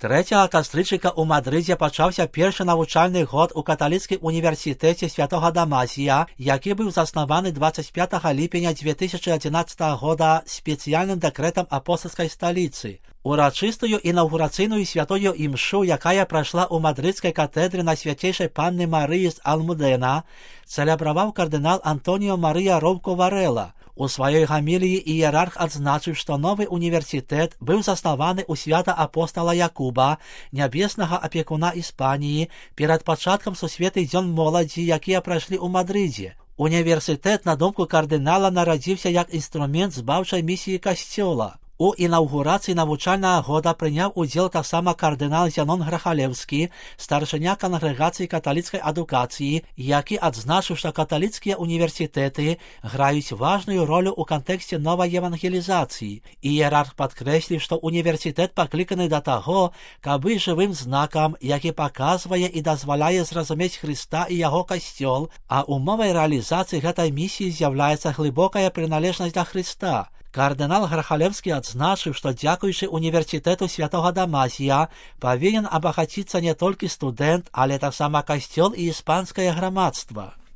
3 кастрычніка ў Мадрыдзе пачаўся першы навучальны год у каталіцкім універсітэце святога Дамасія, які быў заснаваны 25 ліпеня 2011 года спецыяльным дэкрэтам апостальскай сталіцы. Урачыстую інаўгурацыйную святую імшу, якая прайшла ў мадрыдскай катедры на свяцейшай панны Марыі з Алмудена, цэлебраваў кардынал Антоніо Марыя Роўко Варэла. У сваёй гаміліі іерарх адзначыў, што новы універсітэт быў заснаваны ў свята апостала Якуба, нябеснага апекуна Іспаніі, перад пачаткам сусветных дзён моладзі, якія прайшлі ў Мадрыдзе. Універсітэт, на думку кардынала, нарадзіўся як інструмент збаўчай місіі касцёла. У інаўгурацыі навучальнага года прыняў удзел таксама кардынал Зянон Грахалеўскі, старшыня кангрэгацыі каталіцкай адукацыі, які адзначыў, што каталіцкія універсітэты граюць важную ролю ў кантэксце новай евангелізацыі. Іерарх падкрэсліў, што універсітэт пакліканы да таго, каб быць жывым знакам, які паказвае і дазваляе зразумець Хрыста і яго касцёл, а умовай рэалізацыі гэтай місіі з'яўляецца глыбокая прыналежнасць да Хрыста. Кардынал Грахалеўскі адзначыў, што дзякуючы універсітэту святога Дамасія павінен абагаціцца не толькі студэнт, але таксама касцёл і іспанскае грамадства.